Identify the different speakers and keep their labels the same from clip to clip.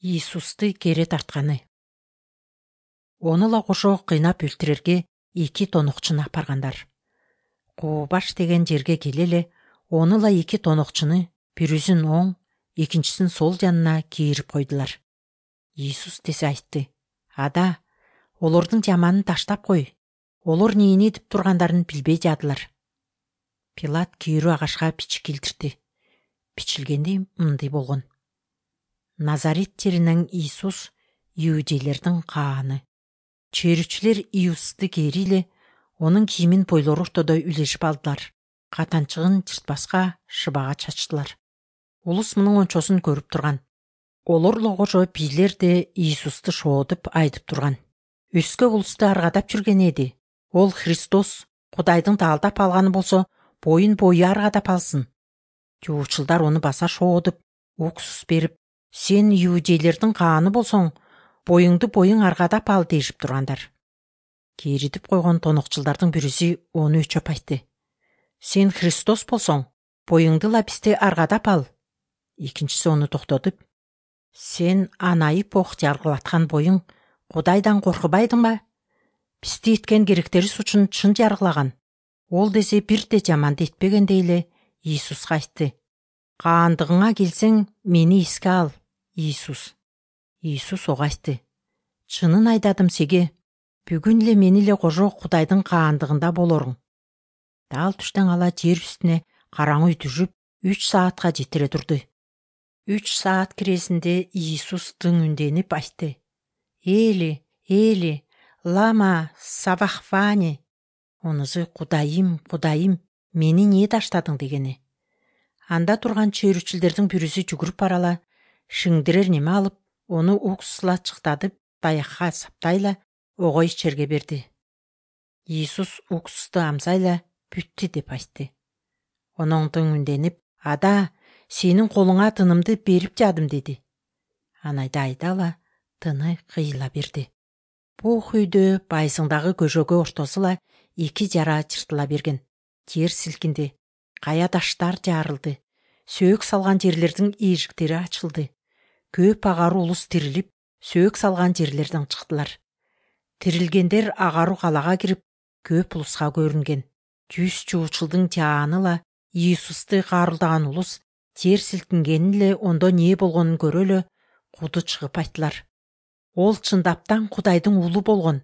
Speaker 1: Иисусту кери тартканы. Оныла кошо кыйнап өлтүрерге 2 тонокчуну апаргандар. Куубаш деген жерге келе эле оныла 2 тонокчуну бирүзүн оң, экинчисин сол жанына кийирип койдулар. Иисус тесе айтты: "Ада, олордун жаманын таштап кой. Олор эмне деп тургандарын билбей жадылар." Пилат кийирүү агашка бичи килтирди. Бичилгенде мындай болгон: Назарет жеринен Иисус, иудейлердин кааны. Чөйрөчүлөр Иисусту кери эле онун кийимин бойлору ортодой үлешип алдылар. Катанчыгын жыртпаска шыбага чачтылар. Улус мунун ончосун көрүп турган. Олорло кошо бийлер да Иисусту шоодуп айтып турган. Өскө улусту аргадап жүрген эди. Ол Христос, Кудайдын таалдап алганы болсо, бою аргадап алсын. Жуучулдар ону баса шоодуп, уксус берип, сен иудейлердин кааны болсоң, боюң аргадап ал дешип тургандар. Керитип койгон тонокчулдардын бирisi ону өчөп айтты: "Сен Христос болсоң, боюңдула бизди аргадап ал." Экинчиси ону токтотуп: "Сен анайып ок жаргылаткан боюң Кудайдан коркубайдыңбы? Бизди эткен керектерибиз үчүн чын жаргылаган. Ол десе бир да жаманды этпегендей эле Иисуска айтты: "Каандыгыңа келсең, мени эске ал, Иисус." Иисус ого айтты: "Чынын айтадым сиге, бүгүн эле мени эле кожо Кудайдын каандыгында болоруң." Дал түштөн ала жер үстүнө караңгы түшүп 3 саатка жетире турду. 3 саат киресинде Иисус үнденип айтты: "Эли, Эли, лама савахфани?" Онусу: "Кудайым, Кудайым, мени эмне таштадың?" дегени. Анда турган чөйрөчүлөрдүн бирisi жүгүрүп барала, шиңдирер неме алып, ону уксусла чыктатып, таякка саптайла ого ичерге берди. Иисус уксусту амсайла бүттү деп айтты. Оноңдон үнденип: "Ада, сенин колуңа тынымды берип жадым" деди. Анайда айдала тыны кыйыла берди. Бух үйдө байсыңдагы көжөгө ортосула 2 жара жыртыла берген. Жер силкинди, кая таштар жарылды. Сөөк салган жерлердин эшиктери ачылды. Көп агаруу улус тирилип, сөөк салган жерлерден чыктылар. Тирилгендер агаруу калага кирип, көп улуска көрүнген. 100 жуучулдун жааныла Иисусту каарулдаган улус жер силкингенин эле ондо эмне болгонун көрө эле куду чыгып айттылар: "Ол чындаптан Кудайдын уулу болгон."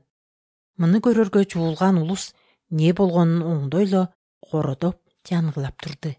Speaker 1: Муну көрөргө жуулган улус эмне болгонун оңдой эле кородоп, жангылап турду.